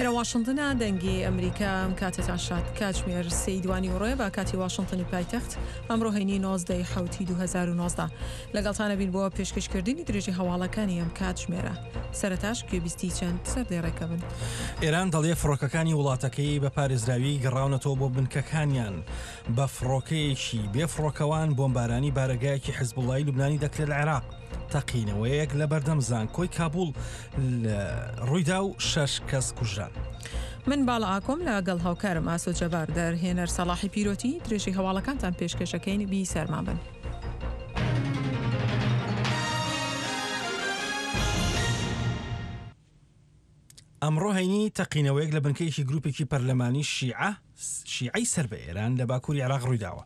ئێرە واشنتنە دەنگی ئەمریکا ئەم کاتێتان شاد کاتژمێر سێی دوانی وڕێ بە کاتی واشنتنی پایتەخت ئەمڕۆ هەینی 19 حوتی 2019 لەگەڵتانە بین بۆ پێشکەشکردنی درێژی هەواڵەکانی ئەم کاتژمێرە سەرەتاش گوێبیستی چەند سەردێڕێکە بن. ئێران دەڵێ فڕۆکەکانی وڵاتەکەی بە پارێزراوی گەڕاونەتەوە بۆ بنکەکانیان بە فڕۆکەیەکی بێ فڕۆکەوان بۆمبارانی بارەگایەکی حزبوڵای لوبنانی دەکرێت لە عێراق. تەقینەوەیەک لە بەردەم زانکۆی کابوڵ ڕوویدا و شەش کەس کوژران. من باڵا ئاکۆم لە گەڵ هاوکارم ئاسۆ جەبار دەرهێنەر سەڵاحی پیرۆتی درێژەی هەواڵەکانتان پێشکەشەکەین بی سەرمان بن. ئەمڕۆ هەینی تەقینەوەیەک لە بنکەیەکی گروپێکی پەرلەمانی شیعە شیعەی سەر بە ئێران لە باکووری عێراق ڕوویداوە.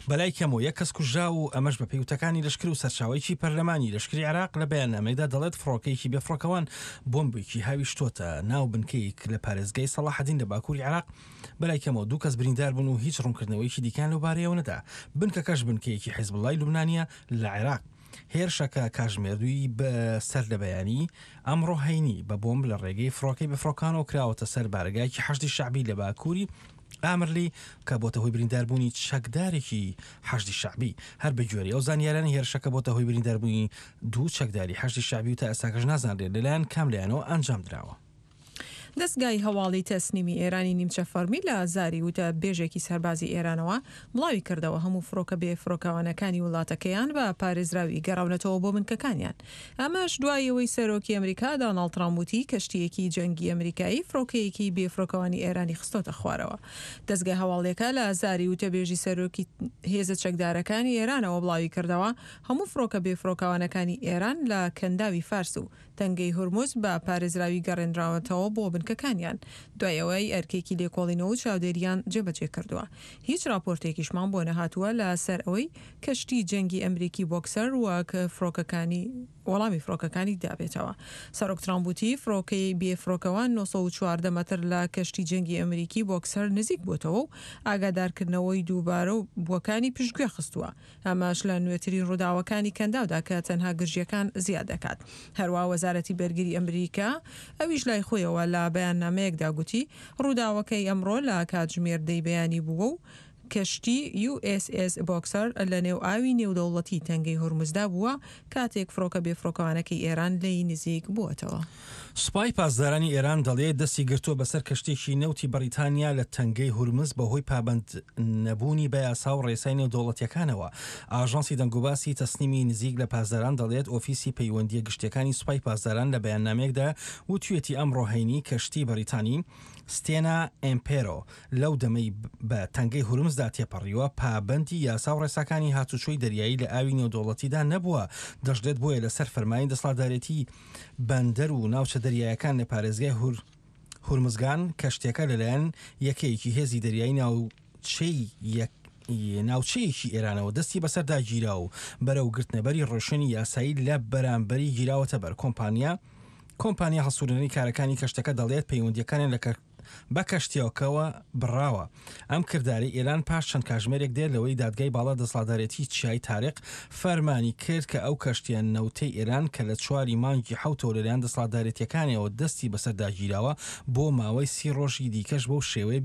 بەلای کەمەوە یەک کەس کوژرا و ئەمەش بەپێی وتەکانی لەشکر و سەرچاوەیەکی پەرلەمانی لەشکری عێراق لە بەیاننامەیەکدا دەڵێت فڕۆکەیەکی بێفڕۆکەوان بۆمبێکی هاویشتۆتە ناو بنکەیەک لە پارێزگای سەڵاحەدین لە باکووری عێراق بەلای کەمەوە دوو کەس بریندار بوون و هیچ ڕوونکردنەوەیەکی دیکەیان لەوبارەیەوە نەدا. بنکەکەش بنکەیەکی حیزبوڵڵای لوبنانییە لە عێراق. هێرشەکە کاژمێر دووی سەر لە بەیانی ئەمڕۆ هەینی بە بۆمب لە ڕێگەی فڕۆکەی بێفڕۆکانەوە کراوەتە سەر بارەگایەکی حەشدی شەعبی لە باکووری ئامرلی کە بۆتە هۆی برینداربوونی چەکدارێکی حەشدی شەعبی. هەر بەگوێرەی ئەو زانیارانە هێرشەکە بۆتە هۆی برینداربوونی دوو چەکداری حەشدی شەعبی و تا ئێستاکەش نازانرێت لەلایەن کام لایەنەوە ئەنجامدراوە. دەزگای هەواڵی تەسنیمی ئێرانی نیمچە فەڕمی لە زاری وتە بێژێکی سەربازی ئێرانەوە بڵاوی کردەوە هەموو فڕۆکە بێ فڕۆکەوانەکانی وڵاتەکەیان بە پارێزراوی گەڕاونەتەوە بۆ بنکەکانیان. ئەمەش دوای ئەوەی سەرۆکی ئەمریکا داناڵد ترامپ وتی کەشتییەکی جەنگی ئەمریکایی فڕۆکەیەکی بێ فڕۆکەوانی ئێرانی خستۆتە خوارەوە. دەزگا هەواڵیەکە لە زاری وتەبێژی سەرۆکی هێزە چەکدارەکانی ئێرانەوە بڵاوی کردەوە هەموو فڕۆکە بێ فڕۆکەوانەکانی ئێران لە کەنداوی فارس و تەنگەی هورمز بە پارێزراوی گەڕێنراوەتەوە بۆ بنکەکانیان، دوای ئەوەی ئەرکێکی لێکۆڵینەوە و چاودێرییان جێبەجێ کردووە. هیچ راپۆرتێکیشمان بۆ نەهاتووە لە سەر ئەوەی کەشتی جەنگی ئەمریکی بۆکسەر وەک فڕۆکەکانی وەڵامی فڕۆکەکانی دابێتەوە. سەرۆک ترامپ وتی فڕۆکەی بێ فڕۆکەوان 914 مەتر لە کەشتی جەنگی ئەمریکی بۆکسەر نزیک بووەتەوە و ئاگادارکردنەوەی دووبارە بووەکانی پشتگوێ خستووە. ئەمەش لە نوێترین ڕووداوەکانی کەنداودا کە تەنها گرژییەکان زیاد دەکات. هەروا وەزارەتی بەرگری ئەمریکا ئەویش لای خۆیەوە لە بەیاننامەیەکدا گوتی، ڕووداوەکەی ئەمڕۆ لە کاتژمێر دەی بەیانی بووە و کەشتی یو ئێس ئێس بۆکسەر لە نێو ئاوی نێودەوڵەتی تەنگەی هورمزدا بووە کاتێک فڕۆکە بێفڕۆکەوانەکەی ئێران لێی نزیک بووەتەوە. سوپای پاسدارانی ئێران دەڵێت دەستی گرتووە بەسەر کەشتییەکی نەوتی بەڕیتانیا لە تەنگەی هورمز بەهۆی پابەند نەبوونی بە یاسا و ڕێسای نێودەوڵەتییەکانەوە. ئاژانسی دەنگوباسی تەسنیمی نزیک لە پاسداران دەڵێت ئۆفیسی پەیوەندییە گشتییەکانی سوپای پاسداران لە بەیاننامەیەکدا وتویەتی ئەمڕۆ هەینی کەشتی بەڕیتانی ستێنا ئێمپێرۆ لەو دەمەی بە تەنگەی هورمزدا تێپەڕیوە، پابەندی یاسا و ڕێساکانی هاتوچۆی دەریایی لە ئاوی نێودەوڵەتیدا نەبووە، دەشڵێت بۆیە لەسەر فەرمانی دەسەڵاتدارێتی بەندەر و ناوچە دەریایەکان لە پارێزگای هورمزگان کەشتیەکە لەلایەن یەکەیەکی هێزی دەریایی ناوچەی ناوچەیەکی ئێرانەوە دەستی بەسەردا گیرا و بەرەو گرتنەبەری ڕێوشوێنی یاسایی لە بەرامبەری گیراوەتە بەر کۆمپانیا کۆمپانیا هەڵسوورێنەری کارەکانی کەشتەکە دەڵێت پەیوەندییەکانیان لە بە کەشتییەکەوە بڕاوە. ئەم کردارەی ئێران پاش چەند کاژمێرێک دێت لەوەی دادگای باڵا دەسەڵاتدارێتی چیای تاریق فەرمانی کرد کە ئەو کەشتییە نەوتەی ئێران کە لە چواری مانگی حەوتەوە لەلایەن دەسەڵاتدارێتییەکانیەوە دەستی بەسەردا گیراوە بۆ ماوەی سی ڕۆژی دیکەش بەو شێوەیە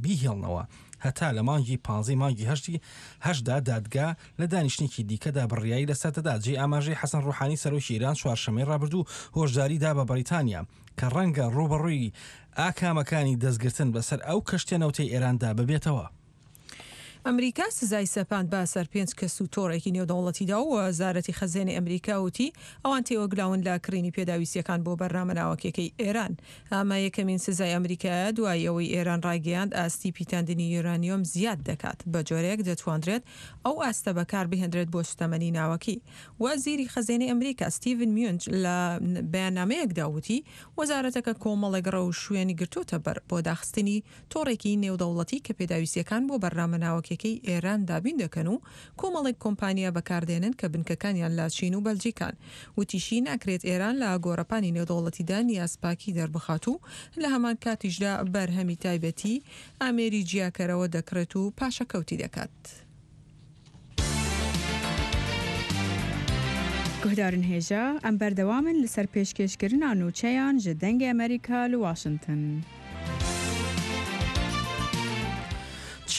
بیهێڵنەوە هەتا لە مانگی پانزەی مانگی هەشتی هەشتدا دادگا لە دانیشتنێکی دیکەدا بڕیاری لەسەر دەدات. جێی ئاماژەی حەسەن ڕوحانی سەرۆکی ئێران چوارشەممەی ڕابردوو هۆشداری دا بە بەڕیتانیا کە ڕەنگە ڕووبەڕووی ئاکامەکانی دەستگرتن بەسەر ئەو کەشتیە نەوتەی ئێراندا ببێتەوە. ئەمریکا سزای سەپاند بە سەر پێنج کەس و تۆڕێکی نێودەوڵەتیدا و وەزارەتی خەزێنەی ئەمریکا وتی ئەوان تێوەگلاون لە کڕینی پێداویستییەکان بۆ بەرنامە ناوەکیەکەی ئێران. ئەمە یەکەمین سزای ئەمریکایە دوای ئەوەی ئێران ڕایگەیاند ئاستی پیتاندنی یۆرانیۆم زیاد دەکات بە جۆرێک دەتواندرێت ئەو ئاستە بەکاربهێندرێت بۆ سوتەمەنی ناوەکی. وەزیری خەزێنەی ئەمریکا ستیڤن میونچ لە بەیاننامەیەکدا وتی وەزارەتەکە کۆمەڵێک ڕێوشوێنی گرتۆتە بەر بۆ داخستنی تۆڕێکی نێودەوڵەتی کە پێداویستییەکان بۆ بەرنامە ناوەکیەکەی ئێران دابین دەکەن و کۆمەڵێک کۆمپانیا بەکاردێنن کە بنکەکانیان لە چین و بەلجیکان. وتیشی ناکرێت ئێران لە گۆڕەپانی نێودەوڵەتیدا نیازپاکی دەربخات و لە هەمان کاتیشدا بەرهەمی تایبەتی ئامێری جیاکەرەوە دەکڕێت و پاشەکەوتی دەکات. Guhdarên hêja, em berdewam in li ser pêşkêşkirina nûçeyan ji Dengê Amerîka li Washington.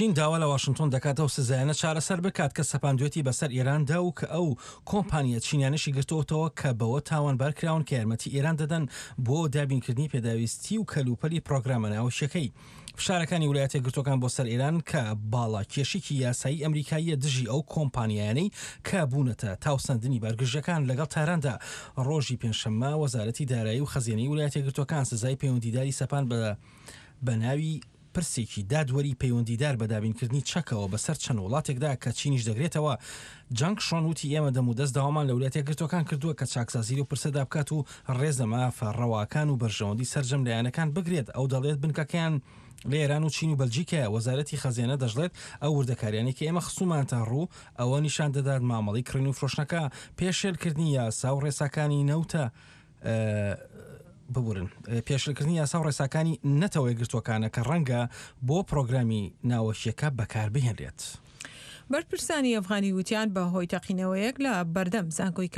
چین داوا لە واشنتۆن دەکات ئەو سزایانە چارەسەر بکات کە سەپاندوێتی بەسەر ئێراندا و کە ئەو کۆمپانیا چینیانەشی گرتۆتەوە کە بەوە تاوانبار کراون کە یارمەتی ئێران دەدەن بۆ دابینکردنی پێداویستی و کەلوپەلی پرۆگرامە ناوکیەکەی. فشارەکانی ولایەتە یەکگرتووەکان بۆ سەر ئێران کە باڵا کێشێکی یاسایی ئەمریکاییە دژی ئەو کۆمپانیایانەی کە بوونەتە تاوسەندنی بارگرژیەکان لەگەڵ تاراندا ڕۆژی پێنجشەممە وەزارەتی دارایی و خەزێنەی ولایەتە یەکگرتووەکان سزای پەیوەندیداری سەپاند بە بە ناوی پرسێکی دادوەری پەیوەندیدار بە دابینکردنی چەکەوە بەسەر چەند وڵاتێکدا کە چینیش دەگرێتەوە. جانگ شۆن وتی ئێمە دەمودەست داوامان لە ولایەتە یەکگرتووەکان کردووە کە چاکسازی لەو پرسەدا بکات و ڕێز لە مافە ڕەواکان و بەرژەوەندی سەرجەم لایەنەکان بگرێت. ئەو دەڵێت بنکەکەیان لە ئێران و چین و بەلجیکایە. وەزارەتی خەزێنە دەشڵێت ئەو وردەکاریانەی کە ئێمە خستوومانتە ڕوو ئەوە نیشان دەدات مامەڵەی کڕین و فرۆشتنەکە پێشێلکردنی یاسا و ڕێساکانی نەوتە ببورن پێشلکردنی یاسا و ڕێساکانی نەتەوە یەکگرتووەکانە کە ڕەنگە بۆ پرۆگرامی ناوەکیەکە بەکاربهێنرێت. بەرپرسانی ئەفغانی وتیان بە هۆی تەقینەوەیەک لە بەردەم زانکۆی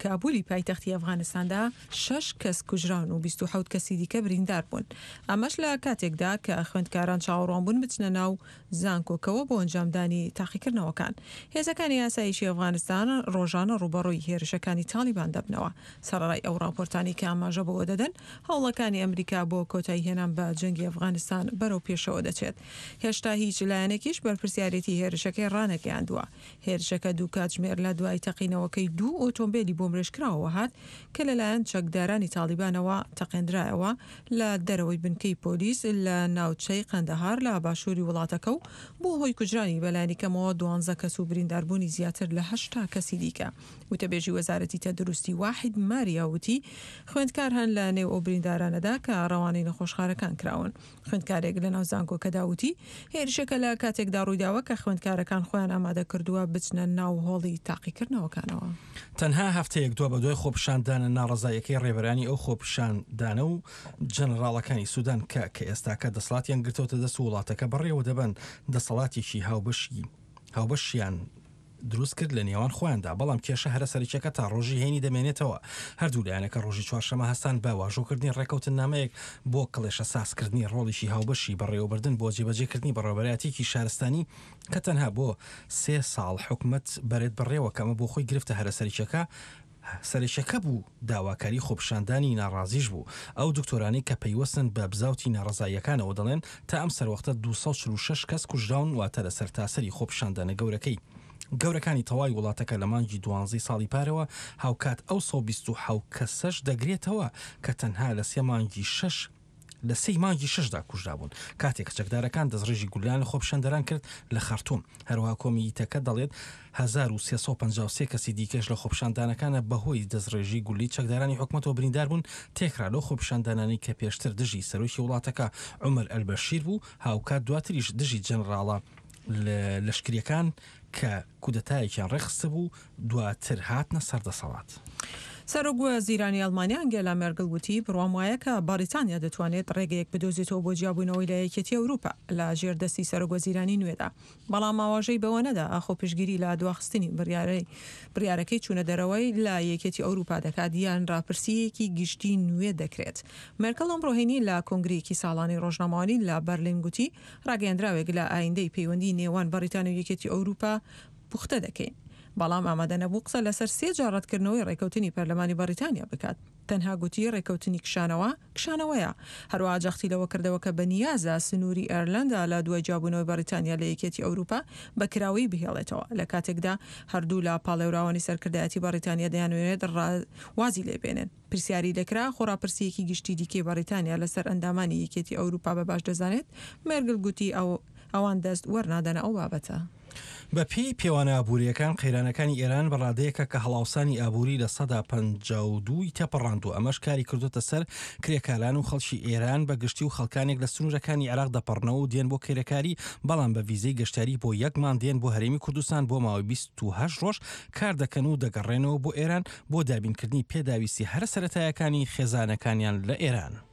کابولی پایتەختی ئەفغانستاندا شەش کەس کوژراون و 27 کەسی دیکە بریندار بوون. ئەمەش لە کاتێکدا کە خوێندکاران چاوەڕوان بوون بچنە ناو زانکۆکەوە بۆ ئەنجامدانی تاقیکردنەوەکان. هێزەکانی ئاسایشی ئەفغانستان ڕۆژانە ڕووبەڕووی هێرشەکانی تاڵیبان دەبنەوە. سەرەڕای ئەو ڕاپۆرتانەی کە ئاماژە بەوە دەدەن هەوڵەکانی ئەمریکا بۆ کۆتاییهێنان بە جەنگی ئەفغانستان بەرەو پێشەوە دەچێت، هێشتا هیچ لایەنێکیش بەرپرسیارێتی هێرشەکەی ڕانەگەیاندووە. هێرشەکە دوو کاتژمێر لە دوای تەقینەوەکەی دوو ئۆتۆمبێلی بۆمبرێژکراوەوە هات کە لەلایەن چەکدارانی تاڵیبانەوە تەقێندرایەوە لە دەرەوەی بنکەی پۆلیس لە ناوچەی قەندەهار لە باشووری وڵاتەکە و بووە هۆی کوژرانی بەلایەنیکەمەوە دوانزە کەس و برینداربوونی زیاتر لە 80 کەسی دیکە. وتەبێژی وەزارەتی تەندروستی واحید ماریا وتی، خوێندکار هەن لە نێو ئەو بریندارانەدا کە ڕەوانەی نەخۆشخانەکان کراون. خوێندکارێک لە ناو زانکۆکەدا وتی، هێرشەکە لە کاتێکدا ڕوویداوە کە خوێندکارەکان خۆیان ئامادە کردووە بچنە ناو هۆڵی تاقیکردنەوەکانەوە. تەنها هەفتەیەک دوابەدوای خۆپیشاندانە ناڕەزاییەکەی ڕێبەرانی ئەو خۆپیشاندانە و جەنەڕاڵەکانی سودان کە کە ئێستاکە دەسەڵاتیان گرتۆتە دەست و وڵاتەکە بەڕێوە دەبەن دەسەڵاتێکی هاوبەشی هاوبەشیان دروست کرد لە نێوان خۆیاندا، بەڵام کێشە هەرە سەرەکیەکە تا ڕۆژی هەینی دەمێنێتەوە. هەردوو لایەنەکە ڕۆژی چوارشەمە هەستان بە واژۆکردنی ڕێکەوتننامەیەک بۆ کڵێشە سازکردنی ڕۆڵێکی هاوبەشی بەڕێوەبردن بۆ جێبەجێکردنی بەڕێوەبەرایەتیەکی شارستانی کە تەنها بۆ سێ ساڵ حکومەت بەرێت بەڕێوە کە ئەمە بۆ خۆی گرفتە هەرە سەرەکیەکە سەرەکیەکە بوو، داواکاری خۆپیشاندانی ناڕازیش بوو. ئەو دکتۆرانەی کە پەیوەستن بە بزاوتی ناڕەزاییەکانەوە دەڵێن تا ئەم سەروەختە 246 کەس کوژراون واتە لە سەرتاسەری خۆپیشاندانە گەورەکەی گەورەکانی تەواوی وڵاتەکە لە مانگی دوانزەی ساڵی پارەوە هاوکات ئەو 127 کەسەش دەگرێتەوە کە تەنها لە سێ مانگی شەش لە سێی مانگی شەشدا کوژرابوون کاتێک کە چەکدارەکان دەستڕێژی گوللەیان لە خۆپیشاندەران کرد لە خەرتوم. هەروەها کۆمیتەکە دەڵێت 1353 کەسی دیکەش لە خۆپیشاندانەکانە بەهۆی دەستڕێژی گوللەی چەکدارانی حکومەتەوە بریندار بوون، تێکڕا لەو خۆپیشاندانانەی کە پێشتر دژی سەرۆکی وڵاتەکە عومەر ئەلبەشیر بوو، هاوکات دواتریش دژی جەنراڵە لەشکرییەکان کە کودەتایەکیان ڕێکخستبوو دواتر هاتنە سەر دەسەڵات. سەرۆک وەزیرانی ئەڵمانیا ئەنگێلا مێرگڵ وتی، بڕوام وایە کە بەڕیتانیا دەتوانێت ڕێگەیەک بدۆزێتەوە بۆ جیابوونەوەی لە یەکێتی ئەوروپا لە ژێر دەستی سەرۆک وەزیرانی نوێدا، بەڵام ئاواژەی بەوە نەدا ئاخۆ پشتگیری لە دواخستنی بڕیارەی بڕیارەکەی چوونە دەرەوەی لە یەکێتی ئەوروپا دەکات یان ڕاپرسییەکی گشتی نوێ دەکرێت. مێرکڵ ئەمڕۆ هەینی لە کۆنگرەیەکی ساڵانەی ڕۆژنامەوانی لە بەرلین گوتی، ڕاگەیەندراوێک لە ئایندەی پەیوەندی نێوان بەڕیتانیا و یەکێتی ئەوروپا پوختە دەکەین. بەڵام ئامادە نەبوو قسە لەسەر سێ جار ڕەتکردنەوەی ڕێکەوتنی پەرلەمانی بەڕیتانیا بکات. تەنها گوتی ڕێکەوتنی کشانەوە، کشانەوەیە. هەروەها جەختی لەوە کردەوە کە بەنیازە سنووری ئێرلەندا لە دوای جیابوونەوەی بەڕیتانیا لە یەکێتی ئەوروپا بە کراوەیی بهێڵێتەوە، لە کاتێکدا هەردوولا پاڵێوراوانی سەرکردایەتی بەڕیتانیا دەیانەوێت وازی لێبێنن. پرسیاری لێکرا خۆ ڕاپرسییەکی گشتی دیکەی بەڕیتانیا لەسەر ئەندامانی یەکێتی ئەوروپا بە باش دەزانێت، مێرگل گوتی ئەوان دەست وەرنادەنە ئەو بابەتە. بە پێی پێوانە ئابوورییەکان، قەیرانەکانی ئێران بە ڕادەیەکە کە هەڵاوسانی ئابووری 52% ی تێپەڕاندووە، ئەمەش کاری کردۆتە سەر کرێکاران و خەڵکی ئێران بە گشتی و خەڵکانێک لە سنوورەکانی عێراق دەپەڕنەوە و دێن بۆ کرێکاری، بەڵام بە ڤیزەی گەشتیاری بۆ یەک مانگ دێن بۆ هەرێمی کوردستان بۆ ماوەی 28 ڕۆژ کار دەکەن و دەگەڕێنەوە بۆ ئێران بۆ دابینکردنی پێداویستی هەرە سەرەتایەکانی خێزانەکانیان لە ئێران.